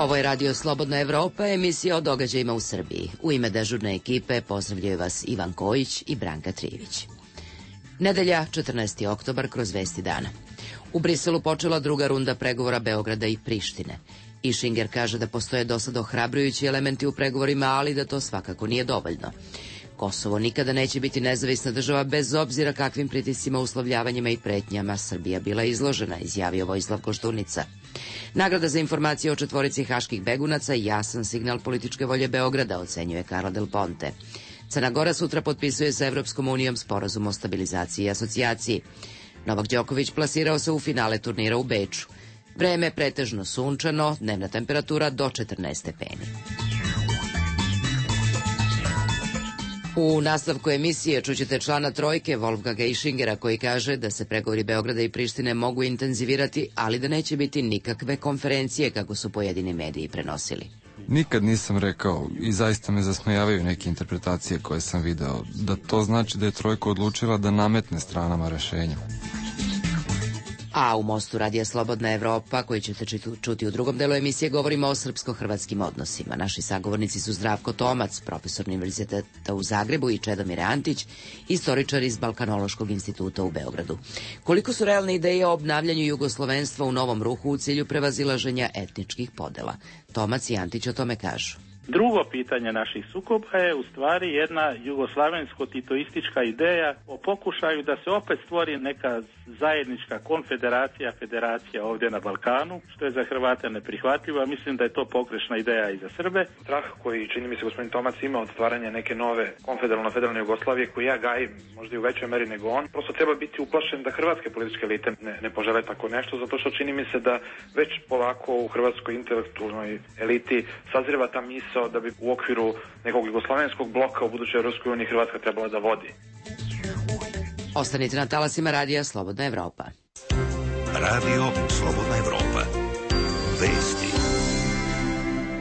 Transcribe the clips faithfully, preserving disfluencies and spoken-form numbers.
Ovo je Radio Slobodna Evropa, emisija o događajima u Srbiji. U ime dežurne ekipe pozdravljaju vas Ivan Kojić i Branka Trijević. Nedelja, četrnaesti oktobar, kroz Vesti dana. U Briselu počela druga runda pregovora Beograda i Prištine. Ischinger kaže da postoje dosad ohrabrujući elementi u pregovorima, ali da to svakako nije dovoljno. Kosovo nikada neće biti nezavisna država bez obzira kakvim pritiscima, uslovljavanjima i pretnjama Srbija bila izložena, izjavio Vojislav Koštunica. Nagrada za informacije o četvorici haških begunaca jasan signal političke volje Beograda, ocenjuje Carla Del Ponte. Crna Gora sutra potpisuje sa Evropskom unijom sporazum o stabilizaciji i asocijaciji. Novak Đoković plasirao se u finale turnira u Beču. Vreme pretežno sunčano, dnevna temperatura do četrnaest stepeni. U nastavku emisije čućete člana trojke Wolfganga Ischingera koji kaže da se pregovori Beograda i Prištine mogu intenzivirati, ali da neće biti nikakve konferencije kako su pojedini mediji prenosili. Nikad nisam rekao i zaista me zasmejavaju neke interpretacije koje sam video, da to znači da je trojka odlučila da nametne stranama rešenja. A u Mostu Radija Slobodna Evropa, koji ćete čuti u drugom delu emisije, govorimo o srpsko-hrvatskim odnosima. Naši sagovornici su Zdravko Tomac, profesor Univerziteta u Zagrebu, i Čedomir Antić, istoričar iz Balkanološkog instituta u Beogradu. Koliko su realne ideje o obnavljanju jugoslovenstva u novom ruhu u cilju prevazilaženja etničkih podela? Tomac i Antić o tome kažu. Drugo pitanje naših sukoba je u stvari jedna jugoslavensko-titoistička ideja o pokušaju da se opet stvori neka zajednička konfederacija, federacija ovdje na Balkanu, što je za Hrvate neprihvatljivo, a mislim da je to pogrešna ideja i za Srbe. Strah koji, čini mi se, gospodin Tomac ima od stvaranja neke nove konfederalno-federalne Jugoslavije, koju ja gajim možda i u većoj meri nego on, prosto treba biti uplašen da hrvatske političke elite ne, ne požele tako nešto, zato što čini mi se da već polako u hrvatskoj intelektualnoj eliti sazreva ta misao da bi u okviru nekog jugoslavenskog bloka u budućoj Evropskoj uniji Hrvatska trebala da vodi. Ostanite na talasima Radija Slobodna Evropa. Radio Slobodna Evropa. Vesti.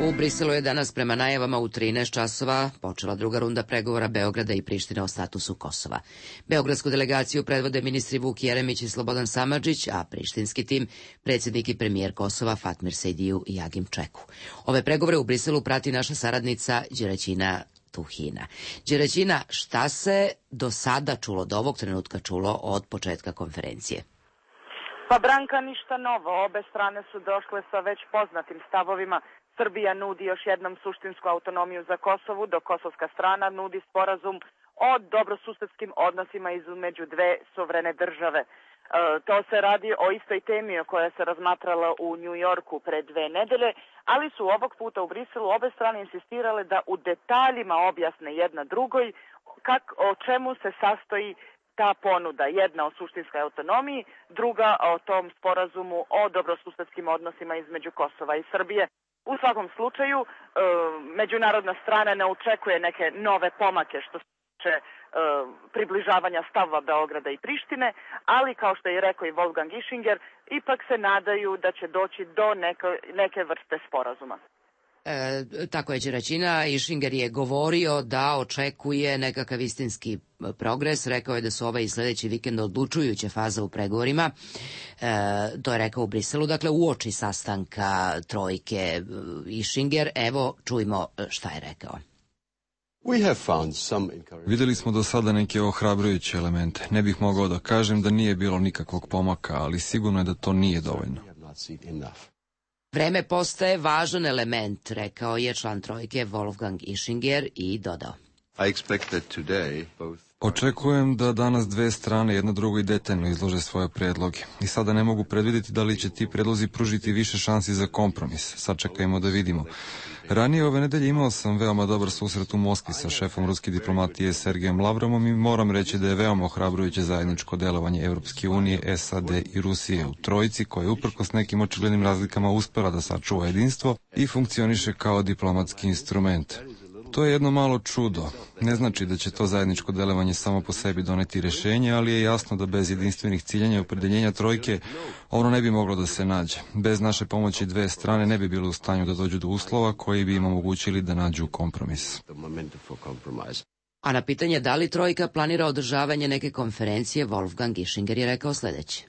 U Briselu je danas prema najavama u trinaest časova počela druga runda pregovora Beograda i Prištine o statusu Kosova. Beogradsku delegaciju predvode ministri Vuk Jeremić i Slobodan Samardžić, a prištinski tim predsjednik i premijer Kosova Fatmir Sejdiju i Agim Čeku. Ove pregovore u Briselu prati naša saradnica Đeraćina Tuhina. Đeraćina, šta se do sada čulo, do ovog trenutka čulo od početka konferencije? Pa Branka, ništa novo. Obe strane su došle sa već poznatim stavovima. Srbija nudi još jednom suštinsku autonomiju za Kosovu, dok kosovska strana nudi sporazum o dobrosusedskim odnosima između dve suverene države. E, to se radi o istoj temi o kojoj se razmatrala u New Yorku pre dve nedelje, ali su ovog puta u Briselu obe strane insistirale da u detaljima objasne jedna drugoj kak, o čemu se sastoji ta ponuda. Jedna o suštinskoj autonomiji, druga o tom sporazumu o dobrosusedskim odnosima između Kosova i Srbije. U svakom slučaju, e, međunarodna strana ne očekuje neke nove pomake što se tiče e, približavanja stavova Beograda i Prištine, ali kao što je rekao i Wolfgang Ischinger, ipak se nadaju da će doći do neke, neke vrste sporazuma. E, tako je Đeraćina. Ischinger je govorio da očekuje nekakav istinski progres. Rekao je da su ovaj i sljedeći vikend odlučujuća faza u pregovorima. E, to je rekao u Briselu, dakle uoči sastanka trojke Ischinger. Evo, čujmo šta je rekao. Videli smo do sada neke ohrabrujuće elemente. Ne bih mogao da kažem da nije bilo nikakvog pomaka, ali sigurno je da to nije dovoljno. Vreme postaje važan element, rekao je član trojke Wolfgang Ischinger i dodao. Očekujem da danas dve strane jedna drugoj detaljno izlože svoje predloge i sada ne mogu predvidjeti da li će ti predlozi pružiti više šansi za kompromis. Sačekajmo da vidimo. Ranije ove nedelje imao sam veoma dobar susret u Moskvi sa šefom ruske diplomatije Sergejem Lavrovom i moram reći da je veoma ohrabrujuće zajedničko delovanje Evropske unije, S A D i Rusije u trojici koja je uprkos nekim očiglednim razlikama uspela da sačuva jedinstvo i funkcioniše kao diplomatski instrument. To je jedno malo čudo. Ne znači da će to zajedničko delovanje samo po sebi doneti rješenje, ali je jasno da bez jedinstvenih ciljanja i opredeljenja trojke ono ne bi moglo da se nađe. Bez naše pomoći dve strane ne bi bile u stanju da dođu do uslova koji bi im omogućili da nađu kompromis. A na pitanje da li trojka planira održavanje neke konferencije, Wolfgang Ischinger je rekao sljedeće.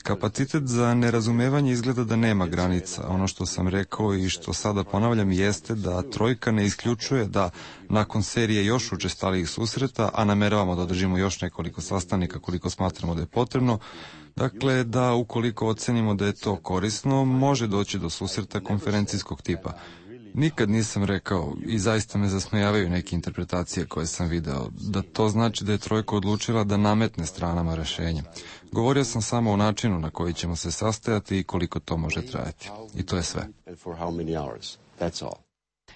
Kapacitet za nerazumevanje izgleda da nema granica. Ono što sam rekao i što sada ponavljam jeste da trojka ne isključuje da nakon serije još učestalijih susreta, a nameravamo da održimo još nekoliko sastanika koliko smatramo da je potrebno, dakle da ukoliko ocenimo da je to korisno, može doći do susreta konferencijskog tipa. Nikad nisam rekao, i zaista me zasmejavaju neke interpretacije koje sam video, da to znači da je trojka odlučila da nametne stranama rešenje. Govorio sam samo o načinu na koji ćemo se sastajati i koliko to može trajati. I to je sve.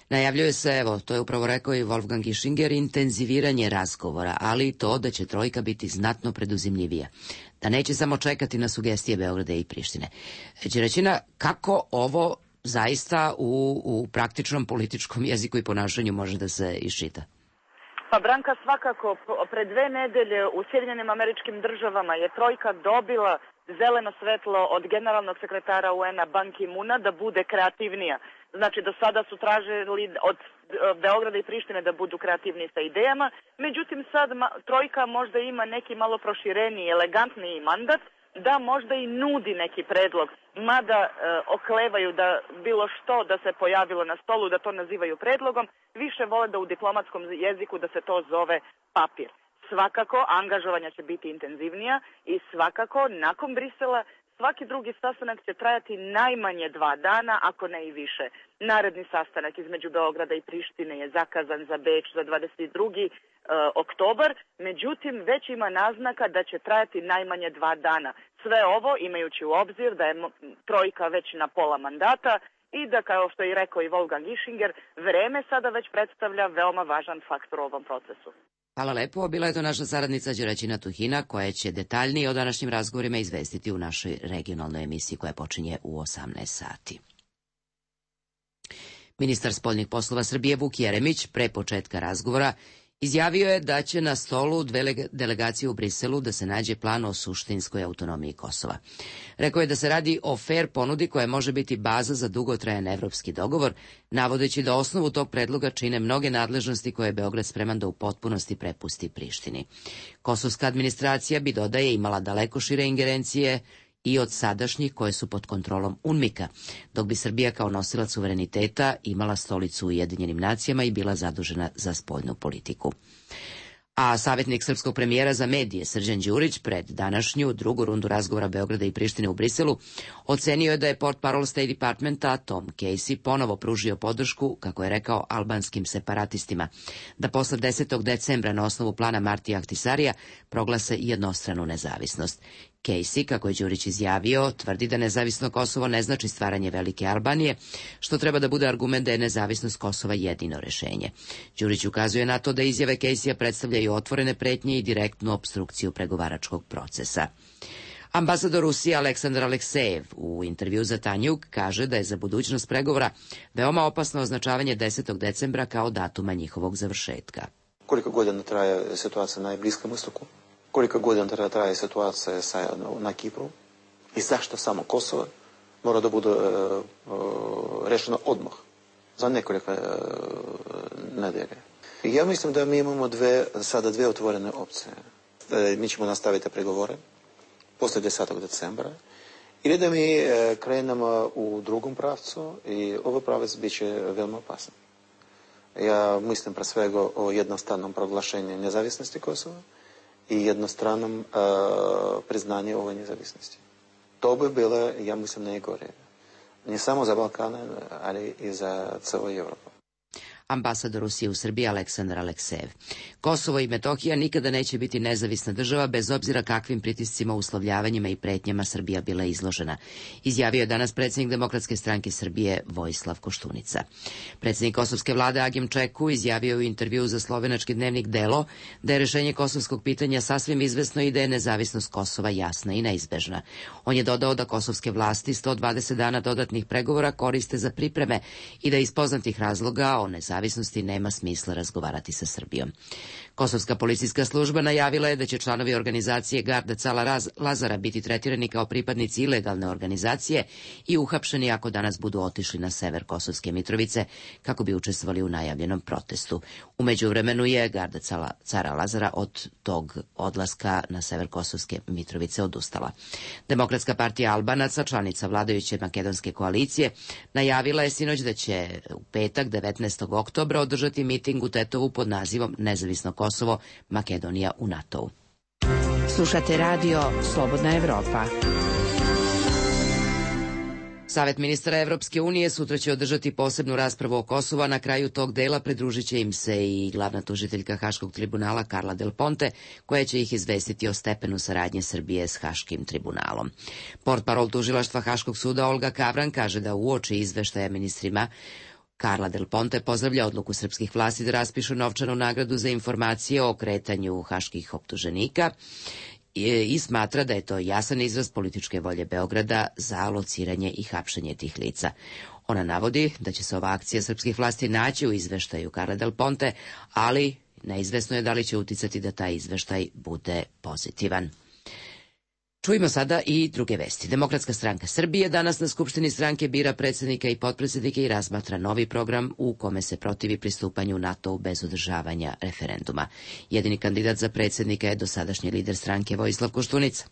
Najavljuje se, evo, to je upravo rekao i Wolfgang Ischinger, intenziviranje razgovora, ali i to da će trojka biti znatno preduzimljivija. Da neće samo čekati na sugestije Beograda i Prištine. Đeraćina, kako ovo zaista u, u praktičnom političkom jeziku i ponašanju može da se iščita? Pa Branka, svakako, pre dve nedelje u Sjedinjenim Američkim Državama je trojka dobila zeleno svetlo od generalnog sekretara U N-a Ban Ki-muna da bude kreativnija. Znači, do sada su tražili od Beograda i Prištine da budu kreativniji sa idejama, međutim sad trojka možda ima neki malo prošireniji, elegantniji mandat, da možda i nudi neki predlog, mada e, oklevaju da bilo što da se pojavilo na stolu, da to nazivaju predlogom, više vole da u diplomatskom jeziku da se to zove papir. Svakako, angažovanja će biti intenzivnija i svakako, nakon Brisela, svaki drugi sastanak će trajati najmanje dva dana, ako ne i više. Naredni sastanak između Beograda i Prištine je zakazan za Beč za dvadeset drugi oktobar, međutim već ima naznaka da će trajati najmanje dva dana. Sve ovo imajući u obzir da je trojka već na pola mandata i da, kao što je rekao i Wolfgang Ischinger, vreme sada već predstavlja veoma važan faktor u ovom procesu. Hvala lepo. Bila je to naša saradnica Đeraćina Tuhina, koja će detaljnije o današnjim razgovorima izvestiti u našoj regionalnoj emisiji koja počinje u osamnaest sati. Ministar spoljnih poslova Srbije Vuk Jeremić pre početka razgovora izjavio je da će na stolu dve delegacije u Briselu da se nađe plan o suštinskoj autonomiji Kosova. Rekao je da se radi o fer ponudi koja može biti baza za dugotrajan evropski dogovor, navodeći da osnovu tog predloga čine mnoge nadležnosti koje je Beograd spreman da u potpunosti prepusti Prištini. Kosovska administracija bi, dodaje, imala daleko šire ingerencije i od sadašnjih koje su pod kontrolom UNMIK-a, dok bi Srbija kao nosilac suvereniteta imala stolicu u Ujedinjenim nacijama i bila zadužena za spoljnu politiku. A savjetnik srpskog premijera za medije Srđan Đurić pred današnju drugu rundu razgovora Beograda i Prištine u Briselu ocenio je da je portparol State Departmenta Tom Casey ponovo pružio podršku, kako je rekao, albanskim separatistima, da posle desetog decembra na osnovu plana Martija Ahtisarija proglase jednostranu nezavisnost. Casey, kako je Đurić izjavio, tvrdi da nezavisno Kosovo ne znači stvaranje velike Albanije, što treba da bude argument da je nezavisnost Kosova jedino rešenje. Đurić ukazuje na to da izjave Casey-a predstavljaju otvorene pretnje i direktnu opstrukciju pregovaračkog procesa. Ambasador Rusije Aleksandar Aleksejev u intervju za Tanjuk kaže da je za budućnost pregovora veoma opasno označavanje desetog decembra kao datuma njihovog završetka. Koliko godina traje situacija na Bliskom istoku? Koliko godina traje situacija na Kipru i zašto samo Kosovo mora da bude uh, uh, rešeno odmah, za nekoliko uh, nedelje. Ja mislim da mi imamo dve, sada dve otvorene opcije. Mi ćemo nastaviti pregovore posle desetog decembra ili da mi uh, krenemo u drugom pravcu i ovaj pravac bit će veoma opasan. Ja mislim pre svega o jednostavnom proglašenju nezavisnosti Kosova i jednostranom uh, priznanje ove nezavisnosti. To bi bilo, ja mislim, najgore. Ne samo za Balkana, ali i za celu Evropu. Ambasador Rusije u Srbiji Aleksandar Aleksejev. Kosovo i Metohija nikada neće biti nezavisna država bez obzira kakvim pritiscima, uslovljavanjima i pretnjama Srbija bila izložena, izjavio je danas predsjednik Demokratske stranke Srbije Vojislav Koštunica. Predsjednik kosovske vlade Agim Čeku izjavio u intervju za slovenački dnevnik Delo da je rešenje kosovskog pitanja sasvim izvesno i da je nezavisnost Kosova jasna i neizbežna. On je dodao da kosovske vlasti sto dvadeset dana dodatnih pregovora koriste za pripreme i da iz poznatih razloga o nezavisnosti nezavisnosti nema smisla razgovarati sa Srbijom. Kosovska policijska služba najavila je da će članovi organizacije Garda Cala Lazara biti tretirani kao pripadnici ilegalne organizacije i uhapšeni ako danas budu otišli na sever Kosovske Mitrovice kako bi učestvovali u najavljenom protestu. U međuvremenu je Garda Cala, Cara Lazara od tog odlaska na sever Kosovske Mitrovice odustala. Demokratska partija Albanaca, članica vladajuće makedonske koalicije, najavila je sinoć da će u petak devetnaestog oktobra održati miting u Tetovu pod nazivom Nezavisno Kosovo, Makedonija u NATO-u. Slušate radio Slobodna Evropa. Savet ministara Evropske unije sutra će održati posebnu raspravu o Kosovu, a na kraju tog dela pridružit će im se i glavna tužiteljka Haškog tribunala Carla Del Ponte, koja će ih izvestiti o stepenu saradnje Srbije s Haškim tribunalom. Portparol tužilaštva Haškog suda Olga Kavran kaže da uoči izveštaja ministrima Carla Del Ponte pozdravlja odluku srpskih vlasti da raspišu novčanu nagradu za informacije o kretanju haških optuženika i smatra da je to jasan izraz političke volje Beograda za lociranje i hapšenje tih lica. Ona navodi da će se ova akcija srpskih vlasti naći u izveštaju Carla Del Ponte, ali neizvesno je da li će uticati da taj izveštaj bude pozitivan. Čujmo sada i druge vesti. Demokratska stranka Srbije danas na Skupštini stranke bira predsjednika i potpredsjednike i razmatra novi program u kome se protivi pristupanju NATO-u bez održavanja referenduma. Jedini kandidat za predsjednika je dosadašnji lider stranke Vojislav Koštunica.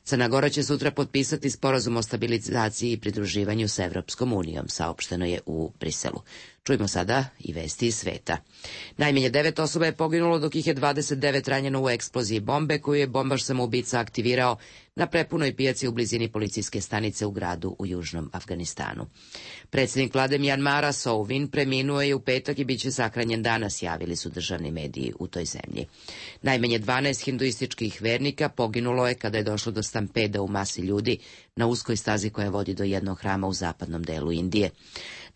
Crna Gora će sutra potpisati sporazum o stabilizaciji i pridruživanju sa Evropskom unijom, saopšteno je u Briselu. Čujmo sada i vesti iz sveta. Najmanje devet osoba je poginulo, dok ih je dvadeset devet ranjeno u eksploziji bombe koju je bombaš samoubica aktivirao na prepunoj pijaci u blizini policijske stanice u gradu u južnom Afganistanu. Predsjednik vlade Mjanmara Sow Win preminuo je u petak i bit će sahranjen danas, javili su državni mediji u toj zemlji. Najmanje dvanaest hinduističkih vernika poginulo je kada je došlo do stampeda u masi ljudi na uskoj stazi koja vodi do jednog hrama u zapadnom delu Indije.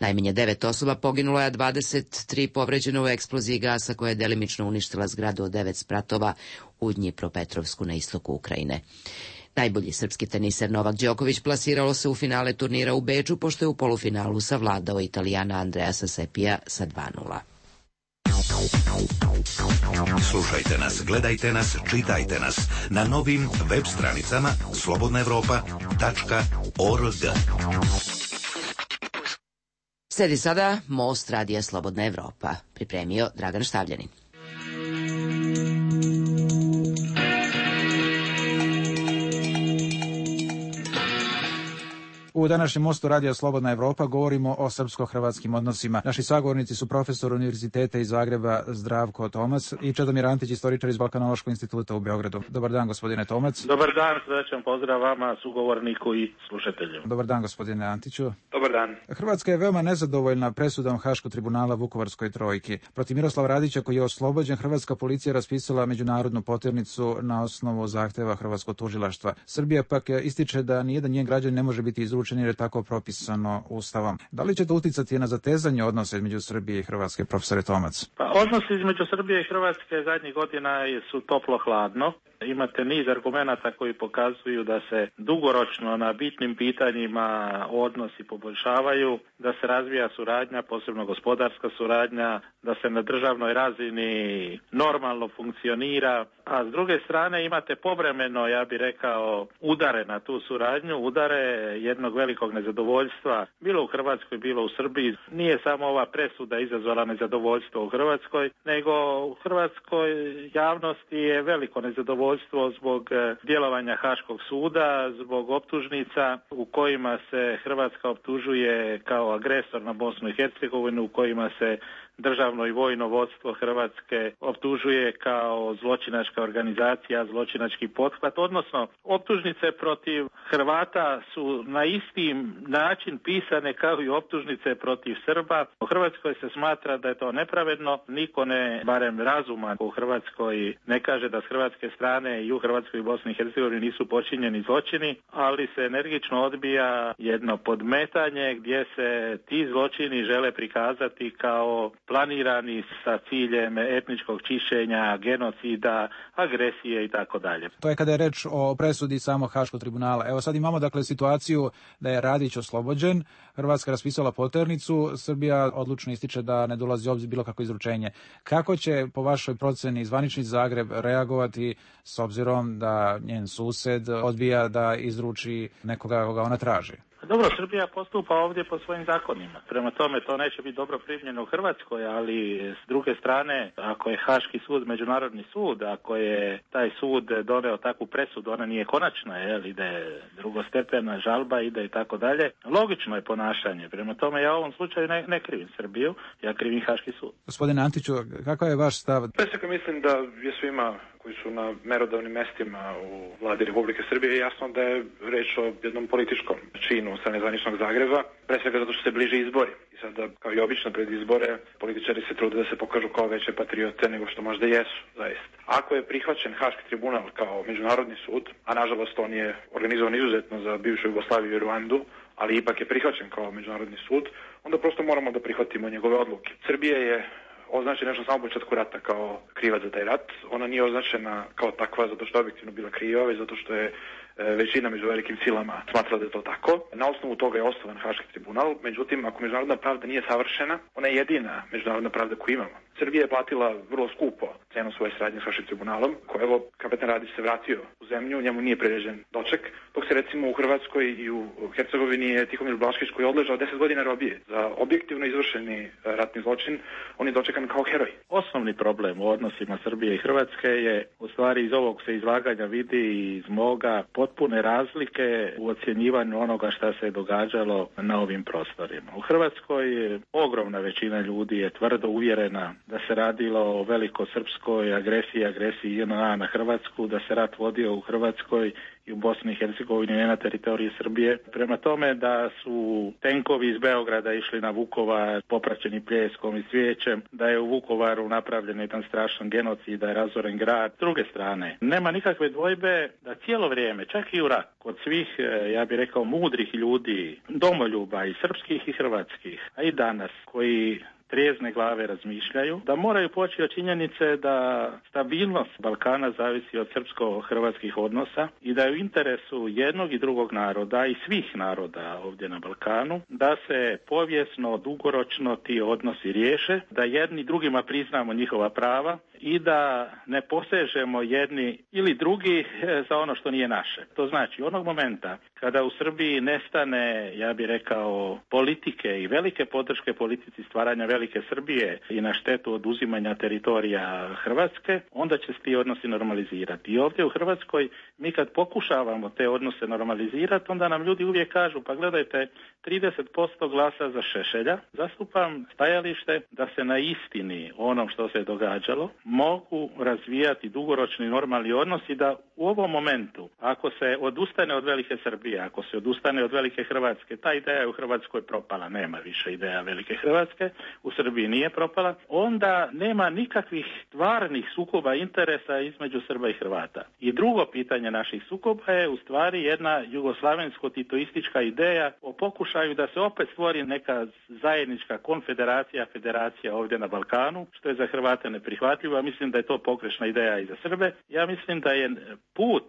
Najmanje devet osoba poginulo je, a dvadeset tri povređeno u eksploziji gasa koja je delimično uništila zgradu od devet spratova u Dnjipropetrovsku na istoku Ukrajine. Najbolji srpski teniser Novak Đoković plasiralo se u finale turnira u Beču, pošto je u polufinalu savladao Italijana Andreasa Sepija sa dva nula. Slušajte nas, gledajte nas, čitajte nas na novim web stranicama slobodna evropa tačka org. Sledi sada Most radija Slobodna Evropa. Pripremio Dragan Štavljanin. U današnjem Mostu radija Slobodna Evropa govorimo o srpsko-hrvatskim odnosima. Naši sagovornici su profesor Univerziteta iz Zagreba Zdravko Tomac i Čedomir Antić, istoričar iz Balkanološkog instituta u Beogradu. Dobar dan, gospodine Tomac. Dobar dan, srećan pozdrav vama, sugovorniku i slušatelju. Dobar dan, gospodine Antiću. Dobar dan. Hrvatska je veoma nezadovoljna presudom Haškog tribunala Vukovarskoj trojki. Protiv Miroslava Radića, koji je oslobođen, hrvatska policija raspisala međunarodnu poternicu na osnovu zahteva hrvatskog tužilaštva. Srbija pak ističe da nijedan njen građanin ne može biti izručen jer je tako propisano Ustavom. Da li će to uticati na zatezanje odnosa između Srbije i Hrvatske, profesore Tomac? Pa, odnosi između Srbije i Hrvatske zadnjih godina su toplo-hladno. Imate niz argumenata koji pokazuju da se dugoročno na bitnim pitanjima odnosi poboljšavaju, da se razvija suradnja, posebno gospodarska suradnja, da se na državnoj razini normalno funkcionira, a s druge strane imate povremeno, ja bih rekao, udare na tu suradnju, udare jednog velikog nezadovoljstva, bilo u Hrvatskoj, bilo u Srbiji. Nije samo ova presuda izazvala nezadovoljstvo u Hrvatskoj, nego u hrvatskoj javnosti je veliko nezadovoljstvo zbog djelovanja Haškog suda, zbog optužnica u kojima se Hrvatska optužuje kao agresor na Bosnu i Hercegovinu, u kojima se državno i vojno vodstvo Hrvatske optužuje kao zločinačka organizacija, zločinački pothvat, odnosno optužnice protiv Hrvata su na isti način pisane kao i optužnice protiv Srba. U Hrvatskoj se smatra da je to nepravedno, niko ne, barem razuma u Hrvatskoj, ne kaže da s hrvatske strane i u Hrvatskoj i Bosni i Hercegovini nisu počinjeni zločini, ali se energično odbija jedno podmetanje gdje se ti zločini žele prikazati kao planirani sa ciljem etničkog čišćenja, genocida, agresije i tako dalje. To je kada je reč o presudi samog Haškog tribunala. Evo sad imamo dakle situaciju da je Radić oslobođen, Hrvatska raspisala poternicu, Srbija odlučno ističe da ne dolazi u obzir bilo kako izručenje. Kako će po vašoj proceni zvanični Zagreb reagovati s obzirom da njen sused odbija da izruči nekoga koga ona traži? Dobro, Srbija postupa ovdje po svojim zakonima. Prema tome, to neće biti dobro primljeno u Hrvatskoj, ali s druge strane, ako je Haški sud međunarodni sud, ako je taj sud doneo takvu presudu, ona nije konačna, jel, ide drugostepena žalba, ide i tako dalje. Logično je ponašanje. Prema tome, ja u ovom slučaju ne, ne krivim Srbiju, ja krivim Haški sud. Gospodine Antiću, kakav je vaš stav? Pre svega mislim da je svima koji su na merodavnim mestima u vladi Republike Srbije jasno da je reč o jednom političkom činu sa nezvaničnog Zagreba, pre svega zato što se bliže izbori. I sada, kao i obično pred izbore, političari se trude da se pokažu kao veće patriote nego što možda jesu, zaista. Ako je prihvaćen Haški tribunal kao međunarodni sud, a nažalost on je organizovan izuzetno za bivšu Jugoslaviju i Ruandu, ali ipak je prihvaćen kao međunarodni sud, onda prosto moramo da prihvatimo njegove odluke. Srbija je označena još na samom početku rata kao krivac za taj rat. Ona nije označena kao takva zato što je objektivno bila kriva, već zato što je većina među velikim silama smatrala da je to tako. Na osnovu toga je osnovan Haški tribunal, međutim, ako međunarodna pravda nije savršena, ona je jedina međunarodna pravda koju imamo. Srbija je platila vrlo skupo cenu svoje saradnje s Haškim tribunalom, koji evo kapetan Radić se vratio u zemlju, njemu nije priređen doček, dok se recimo u Hrvatskoj i u Hercegovini je Tihomir Blaškić koji je odležao deset godina robije za objektivno izvršeni ratni zločin, on je dočekan kao heroj. Osnovni problem u odnosima Srbije i Hrvatske je, u stvari iz ovog se izlaganja vidi i iz moga, potpune razlike u ocjenjivanju onoga šta se je događalo na ovim prostorima. U Hrvatskoj ogromna većina ljudi je tvrdo uvjerena da se radilo o velikosrpskoj agresiji, agresiji J N A na Hrvatsku, da se rat vodio u Hrvatskoj i u Bosni i Hercegovini, ne na teritoriji Srbije. Prema tome da su tenkovi iz Beograda išli na Vukovar popraćeni pljeskom i cvijećem, da je u Vukovaru napravljen jedan strašan genocid, da je razoren grad. S druge strane, nema nikakve dvojbe da cijelo vrijeme, čak i u rat, kod svih, ja bih rekao, mudrih ljudi, domoljuba i srpskih i hrvatskih, a i danas, koji trijezne glave razmišljaju, da moraju poći od činjenice da stabilnost Balkana zavisi od srpsko-hrvatskih odnosa i da je u interesu jednog i drugog naroda i svih naroda ovdje na Balkanu da se povijesno, dugoročno ti odnosi riješe, da jedni drugima priznamo njihova prava i da ne posežemo jedni ili drugi za ono što nije naše. To znači, onog momenta kada u Srbiji nestane, ja bih rekao, politike i velike podrške politici stvaranja velike Srbije i na štetu oduzimanja teritorija Hrvatske, onda će se ti odnosi normalizirati. I ovdje u Hrvatskoj mi kad pokušavamo te odnose normalizirati, onda nam ljudi uvijek kažu, pa gledajte, trideset posto glasa za Šešelja, zastupam stajalište da se na istini onom što se događalo mogu razvijati dugoročni normalni odnosi, da u ovom momentu, ako se odustane od velike Srbije, ako se odustane od velike Hrvatske, ta ideja je u Hrvatskoj propala, nema više ideja velike Hrvatske, u Srbiji nije propala, onda nema nikakvih stvarnih sukoba interesa između Srba i Hrvata. I drugo pitanje naših sukoba je u stvari jedna jugoslavensko-titoistička ideja o pokušaju da se opet stvori neka zajednička konfederacija, federacija ovdje na Balkanu, što je za Hrvate neprihvatljivo. Ja mislim da je to pogrešna ideja i za Srbe. Ja mislim da je put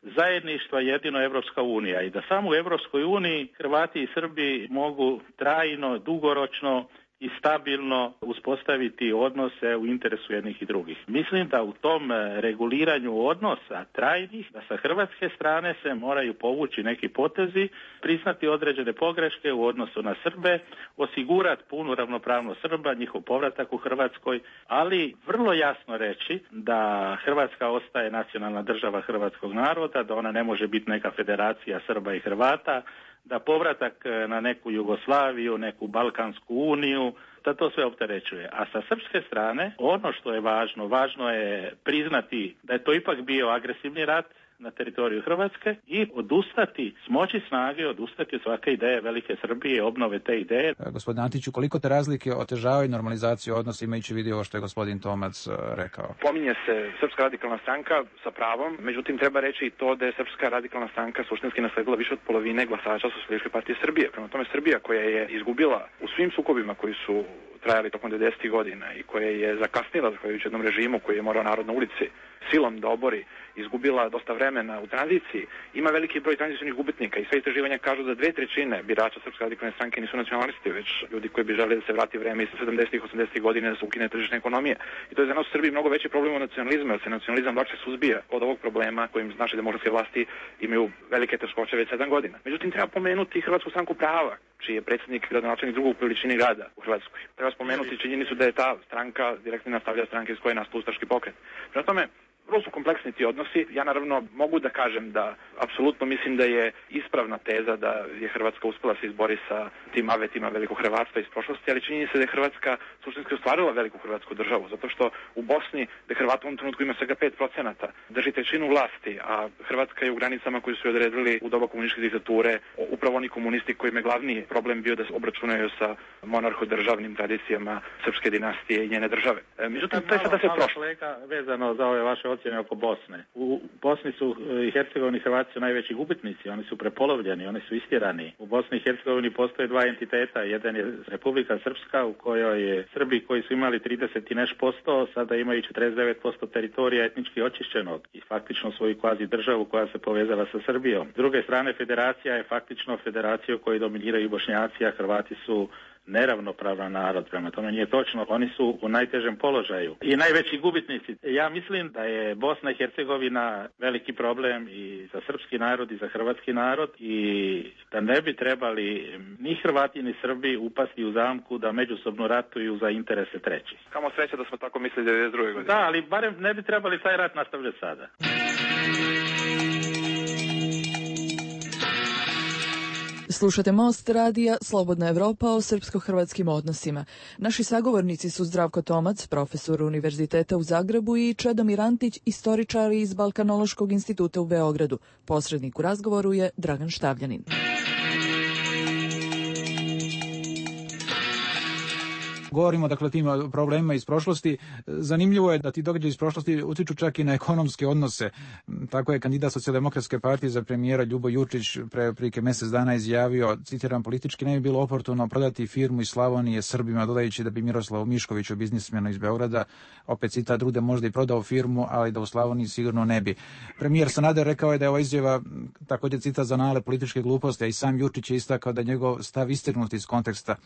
zajedništva jedino Evropska unija i da samo u Evropskoj uniji Hrvati i Srbi mogu trajno, dugoročno i stabilno uspostaviti odnose u interesu jednih i drugih. Mislim da u tom reguliranju odnosa trajnih, da sa hrvatske strane se moraju povući neki potezi, priznati određene pogreške u odnosu na Srbe, osigurati punu ravnopravnost Srba, njihov povratak u Hrvatskoj, ali vrlo jasno reći da Hrvatska ostaje nacionalna država hrvatskog naroda, da ona ne može biti neka federacija Srba i Hrvata, da povratak na neku Jugoslaviju, neku Balkansku uniju, da to sve opterećuje. A sa srpske strane, ono što je važno, važno je priznati da je to ipak bio agresivni rat, na teritoriju Hrvatske i odustati, smoći snage, odustati od svake ideje velike Srbije, obnove te ideje. Gospodin Antiću, koliko te razlike otežavaju normalizaciju odnosa, imajući vidio ovo što je gospodin Tomac rekao? Pominje se Srpska radikalna stranka sa pravom, međutim treba reći i to da je Srpska radikalna stranka suštinski nasledila više od polovine glasača Socijalističke partije Srbije. Prema tome Srbija koja je izgubila u svim sukobima koji su trajali tokom devedesetih godina i koja je zakasnila zahvaljujući jednom režimu koji je morao narod na ulici silom da obori, izgubila dosta vremena u tranziciji, ima veliki broj tranzicijnih gubitnika i sve istraživanja kažu da dve trećine birača Srpske radikalne stranke nisu nacionalisti, već ljudi koji bi želeli da se vrati vreme iz sedamdesetih, osamdesetih godina da se ukine tržišna ekonomija. I to je za nas u Srbiji mnogo veći problem od nacionalizma, jer se nacionalizam lakše suzbija od ovog problema kojim naše demokratske vlasti imaju velike teškoće već sedam godina. Međutim, treba pomenuti Hrvatsku stranku prava, čiji je predsjednik gradonačelnik drugog po veličini grada u Hrvatskoj. Treba spomenuti činjenicu da je ta stranka direktno nastavlja stranke iz koje je nastao ustaški pokret. Prema tome, vrlo su kompleksni ti odnosi. Ja naravno mogu da kažem da apsolutno mislim da je ispravna teza da je Hrvatska uspela se izbori sa tim avetima velikog hrvatstva iz prošlosti, ali čini se da je Hrvatska suštinski ostvarila veliku hrvatsku državu, zato što u Bosni, da Hrvata u ovom trenutku ima svega pet procenata, drži trećinu vlasti, a Hrvatska je u granicama koji su je odredili u doba komunističke diktature, upravo oni komunisti kojima je glavni problem bio da se obračunaju sa monarhodržavnim tradicijama srpske dinastije i njene države. E, međutim, to je sada se prošlo. Vezano za ove vaše ocjene oko Bosne. U Bosni su i Hercegovini Hrvati su najveći gubitnici, oni su prepolovljeni, oni su istjerani. U Bosni i Hercegovini postoje dva entiteta, jedan je Republika Srpska u kojoj je Srbi koji su imali trideset i nešto posto, sada imaju četrdeset devet posto teritorija etnički očišćenog i faktično svoju kvazi državu koja se povezala sa Srbijom. S druge strane, federacija je faktično federacija u kojoj dominiraju Bošnjaci, a Hrvati su neravnopravan narod, prema tome nije točno, oni su u najtežem položaju i najveći gubitnici. Ja mislim da je Bosna i Hercegovina veliki problem i za srpski narod i za hrvatski narod i da ne bi trebali ni Hrvati ni Srbi upasti u zamku da međusobno ratuju za interese trećih. Kamo sreća da smo tako mislili devedeset druge godine. Da, ali barem ne bi trebali taj rat nastavljati sada. Slušate Most radija Slobodna Evropa o srpsko-hrvatskim odnosima. Naši sagovornici su Zdravko Tomac, profesor Univerziteta u Zagrebu, i Čedomir Antić, istoričar iz Balkanološkog instituta u Beogradu. Posrednik u razgovoru je Dragan Štavljanin. Govorimo dakle o tim problemima iz prošlosti. Zanimljivo je da ti događaji iz prošlosti utiču čak i na ekonomske odnose. Tako je kandidat Socijaldemokratske partije za premijera Ljubo Jurčić pre otprilike mjesec dana izjavio, citiram, politički ne bi bilo oportuno prodati firmu iz Slavonije Srbima, dodajući da bi Miroslav Mišković, biznismen iz Beograda, opet citat, Rude, možda i prodao firmu, ali da u Slavoniji sigurno ne bi. Premijer Sanader rekao je da je ova izjava također citat za nale političke gluposti, a i sam Jurčić je istakao da je njegov stav istrgnut iz konteksta.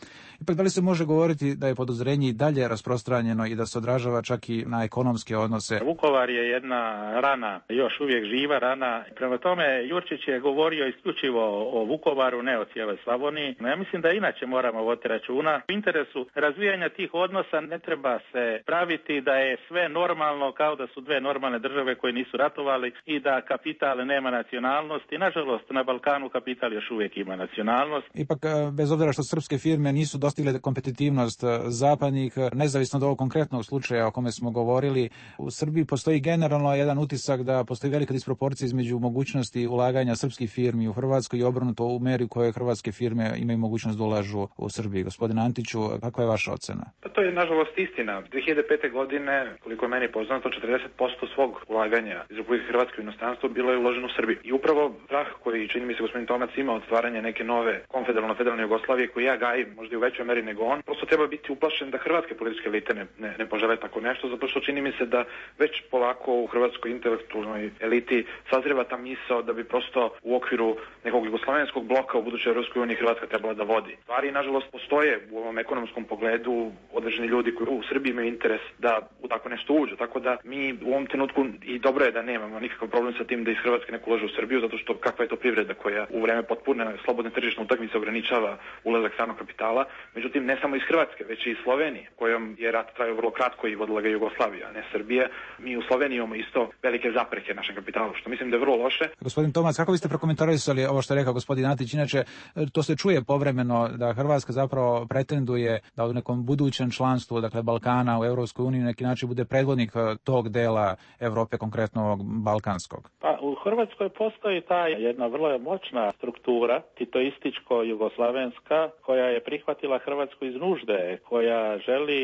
Ipak, da li se može govoriti da je podozrenje i dalje rasprostranjeno i da se odražava čak i na ekonomske odnose? Vukovar je jedna rana, još uvijek živa rana. Prema tome, Jurčić je govorio isključivo o Vukovaru, ne o cijeloj Slavoniji. Ja mislim da inače moramo voditi računa. U interesu razvijanja tih odnosa ne treba se praviti da je sve normalno kao da su dve normalne države koje nisu ratovali i da kapital nema nacionalnost. I nažalost, na Balkanu kapital još uvijek ima nacionalnost. Ipak, bez obzira što srpske firme nisu dostigle kompetitivnost zapadnih, nezavisno od ovog konkretnog slučaja o kome smo govorili, u Srbiji postoji generalno jedan utisak da postoji velika disproporcija između mogućnosti ulaganja srpskih firmi u Hrvatskoj i obrnuto u meri u kojoj hrvatske firme imaju mogućnost da ulažu u Srbiji. Gospodin Antiću, kakva je vaša ocena? Pa to je nažalost istina. dvije hiljade pete. godine, koliko je meni poznato, četrdeset posto svog ulaganja iz Republike Hrvatske u inostranstvo bilo je uloženo u Srbiju. I upravo strah koji, čini mi se, gospodin Tomac ima od stvaranja neke nove konfederalno-federalne Jugoslavije, koju ja gajim možda i u većoj meri nego on, prosto treba biti uplašen da hrvatske političke elite ne, ne, ne požele tako nešto, zato što čini mi se da već polako u hrvatskoj intelektualnoj eliti sazreva ta misao da bi prosto u okviru nekog jugoslavenskog bloka u budućoj Europskoj uniji Hrvatska trebala da vodi. Stvari, nažalost, postoje u ovom ekonomskom pogledu određeni ljudi koji u Srbiji imaju interes da u tako nešto uđu, tako da mi u ovom trenutku, i dobro je da nemamo nikakav problem sa tim da iz Hrvatske neko ulaže u Srbiju, zato što kakva je to privreda koja u vreme potpune slobodne tržišne utakmice ograničava ulazak stranog kapitala, međutim ne samo iz Hrvatske, već uključujući i Slovenije, kojom je rat trajao vrlo kratko i vodila ga Jugoslavija, a ne Srbija. Mi u Sloveniji imamo isto velike zapreke našem kapitalu, što mislim da je vrlo loše. Gospodin Tomac, kako biste prokomentarisali ovo što je rekao gospodin Antić? Inače, to se čuje povremeno da Hrvatska zapravo pretenduje da u nekom budućem članstvu, dakle Balkana u Europskoj uniji, na neki način bude predvodnik tog dela Evrope, konkretno ovog balkanskog. Pa u Hrvatskoj postoji ta jedna vrlo moćna struktura, titoističko-jugoslavenska, koja je prihvatila Hrvatsku iz nužde, koja želi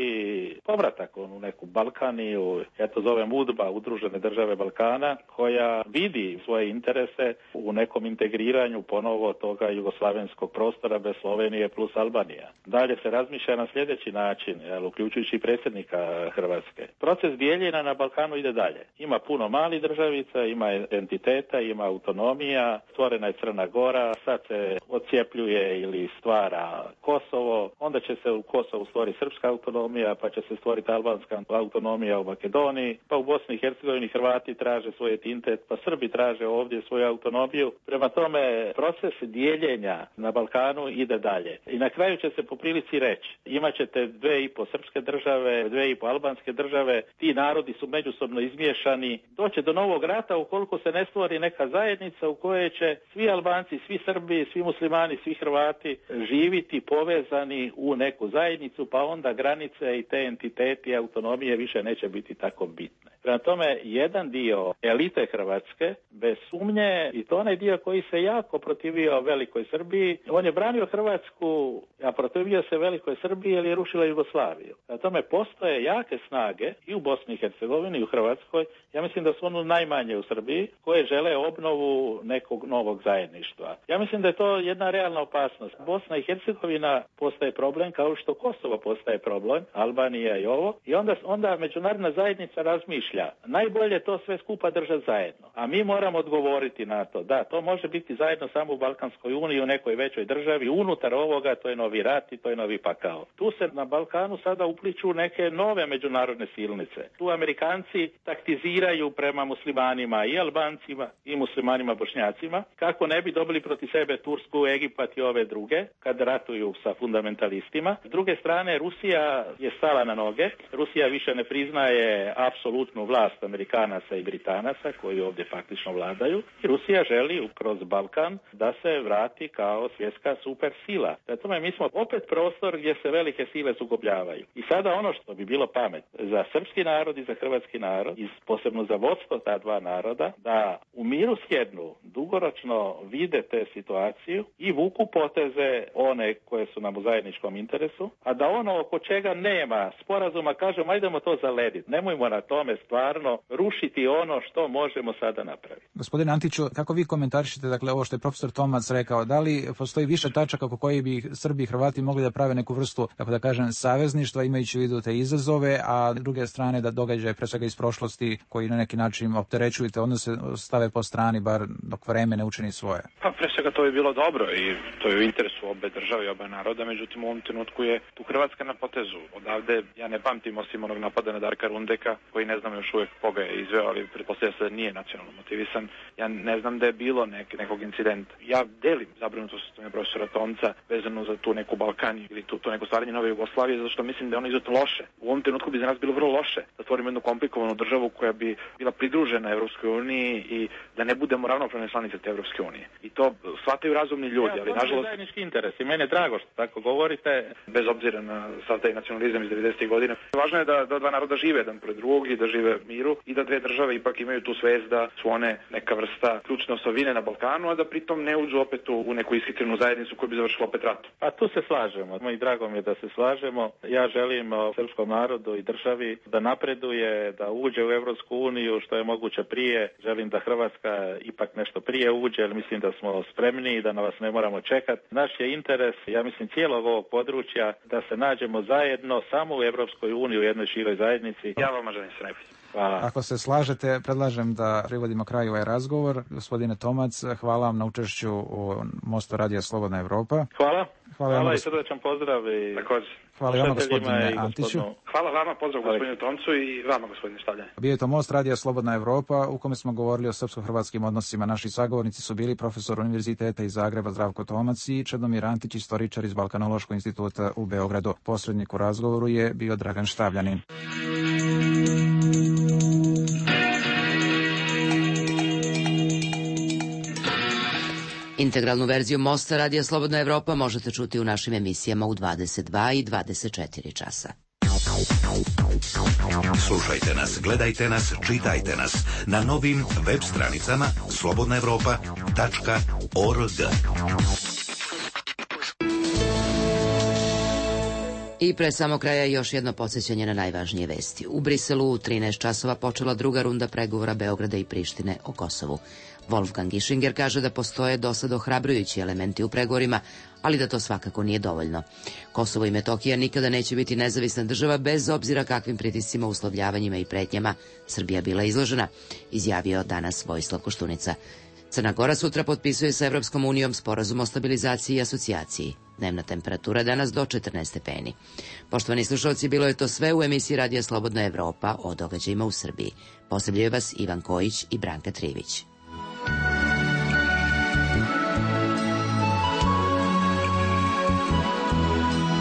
povratak u neku Balkaniju, ja to zovem U D B A, Udružene države Balkana, koja vidi svoje interese u nekom integriranju ponovo toga jugoslavenskog prostora bez Slovenije plus Albanija. Dalje se razmišlja na sljedeći način, jel, uključujući i predsjednika Hrvatske. Proces dijeljenja na Balkanu ide dalje. Ima puno malih državica, ima entiteta, ima autonomija, stvorena je Crna Gora, sad se odcijepljuje ili stvara Kosovo, onda će se u Kosovu stvoriti srpska autonomija, pa će se stvoriti albanska autonomija u Makedoniji, pa u Bosni i Hercegovini Hrvati traže svoj entitet, pa Srbi traže ovdje svoju autonomiju. Prema tome, proces dijeljenja na Balkanu ide dalje. I na kraju će se po prilici reći, imat ćete dve i po srpske države, dve i po albanske države, ti narodi su međusobno izmiješani, doće do novog rata ukoliko se ne stvori neka zajednica u kojoj će svi Albanci, svi Srbi, svi muslimani, svi Hrvati živiti povezani u neku zajednicu, pa onda granice i te entiteti autonomije više neće biti tako bitne. Prema tome, jedan dio elite Hrvatske, bez sumnje, i to onaj dio koji se jako protivio Velikoj Srbiji, on je branio Hrvatsku, a protivio se Velikoj Srbiji jer je rušila Jugoslaviju. Prema tome, postoje jake snage i u Bosni i Hercegovini i u Hrvatskoj, ja mislim da su ono najmanje u Srbiji, koje žele obnovu nekog novog zajedništva. Ja mislim da je to jedna realna opasnost. Bosna i Hercegovina postaje problem kao što Kosovo postaje problem, Albanija i ovo, i onda, onda međunarodna zajednica razmišlja. Najbolje to sve skupa držati zajedno. A mi moramo odgovoriti na to. Da, to može biti zajedno samo u Balkanskoj uniji, u nekoj većoj državi. Unutar ovoga to je novi rat i to je novi pakao. Tu se na Balkanu sada upliču neke nove međunarodne silnice. Tu Amerikanci taktiziraju prema muslimanima i Albancima i muslimanima Bošnjacima, kako ne bi dobili proti sebe Tursku, Egipat i ove druge, kad ratuju sa fundamentalistima. S druge strane, Rusija je stala na noge. Rusija više ne priznaje apsolutnu vlast Amerikanaca i Britanaca koji ovdje faktično vladaju. I Rusija želi kroz Balkan da se vrati kao svjetska supersila. Zato mi smo opet prostor gdje se velike sile sukobljavaju. I sada ono što bi bilo pamet za srpski narod i za hrvatski narod, i posebno za vodstvo ta dva naroda, da u miru sjednu, dugoročno vide te situaciju i vuku poteze one koje su nam u zajedničkom interesu, a da ono oko čega nema sporazuma, kažemo, ajdemo to zalediti. Nemojmo na tome stvarno rušiti ono što možemo sada napraviti. Gospodine Antiću, kako vi komentarišete, dakle, ovo što je profesor Tomac rekao, da li postoji više tačaka oko koji bi Srbi i Hrvati mogli da prave neku vrstu, tako da kažem, savezništva, imajući u vidu te izazove, a s druge strane da događaje pre svega iz prošlosti koji na neki način opterećuju te odnose stave po strani, bar dok vreme ne učini svoje? Pa pre svega to je bilo dobro i to je u interesu obe države i oba naroda, međutim u ovom trenutku je tu Hrvatska na potezu. Odavde ja ne pamtim osim onog napada na Darka Rundeka, koji ne znam još uvijek koga je izveo, ali pretpostavlja se da nije nacionalno motivisan. Ja ne znam da je bilo nek, nekog incidenta. Ja delim zabrinutost profesora Tomca vezano za tu neku Balkan ili tu, tu neko stvaranje nove Jugoslavije, zato što mislim da je ono izuzetno loše. U ovom trenutku bi za nas bilo vrlo loše da stvorimo jednu komplikovanu državu koja bi bila pridružena Evropskoj uniji i da ne budemo ravnopravne članice te Evropske unije. I to shvataju razumni ljudi, ja, ali nažalost zajednički interes. I meni je drago što tako govorite, bez obzira na sav taj nacionalizam iz devedesetih godina. Važno je da, da dva naroda žive jedan pored drugog i da žive miru i da dve države ipak imaju tu svest da su one neka vrsta ključne osobine na Balkanu, a da pritom ne uđu opet u, u neku ishitrenu zajednicu koja bi završila opet rat. A tu se slažemo. I drago mi je da se slažemo. Ja želim srpskom narodu i državi da napreduje, da uđe u Evropsku uniju što je moguće prije. Želim da Hrvatska ipak nešto prije uđe, jer mislim da smo spremni i da na vas ne moramo čekati. Naš je interes, ja mislim, cijelog ovog područja da se nađemo zajedno samo u Evropskoj uniji, u jednoj široj zajednici. Ja vama želim sve najbolje. Hvala. Ako se slažete, predlažem da privodimo kraju ovaj razgovor. Gospodine Tomac, hvala vam na učešću u Mostu radija Slobodna Evropa. Hvala. Hvala, Hvala vama, i srdečan pozdrav. I također. Hvala i vama, slušateljima gospodine i Antiću. gospodinu. Hvala vama, pozdrav gospodinu Tomcu i vama, gospodine Štavljanje. Bio je to Most radija Slobodna Evropa u kome smo govorili o srpsko-hrvatskim odnosima. Naši sagovornici su bili profesor Univerziteta iz Zagreba Zdravko Tomac i Čedomir Antić, istoričar iz Balkanološkog instituta u Beogradu. Posrednik u razgovoru je bio Dragan Štavljanin. Integralnu verziju Mosta radija Slobodna Evropa možete čuti u našim emisijama u dvadeset dva i dvadeset četiri časa. Slušajte nas, gledajte nas, čitajte nas na novim web stranicama slobodna evropa tačka org. I pre samo kraja još jedno podsjećanje na najvažnije vesti. U Briselu u trinaest časova počela druga runda pregovora Beograda i Prištine o Kosovu. Wolfgang Ischinger kaže da postoje dosad ohrabrujući elementi u pregovorima, ali da to svakako nije dovoljno. Kosovo i Metohija nikada neće biti nezavisna država bez obzira kakvim pritiscima, uslovljavanjima i pretnjama Srbija bila izložena, izjavio danas Vojislav Koštunica. Crna Gora sutra potpisuje sa Evropskom unijom sporazum o stabilizaciji i asocijaciji. Dnevna temperatura danas do četrnaest stepeni. Poštovani slušalci, bilo je to sve u emisiji Radija Slobodna Evropa o događajima u Srbiji. Posebljaju vas Ivan Kojić i Branka Trivić.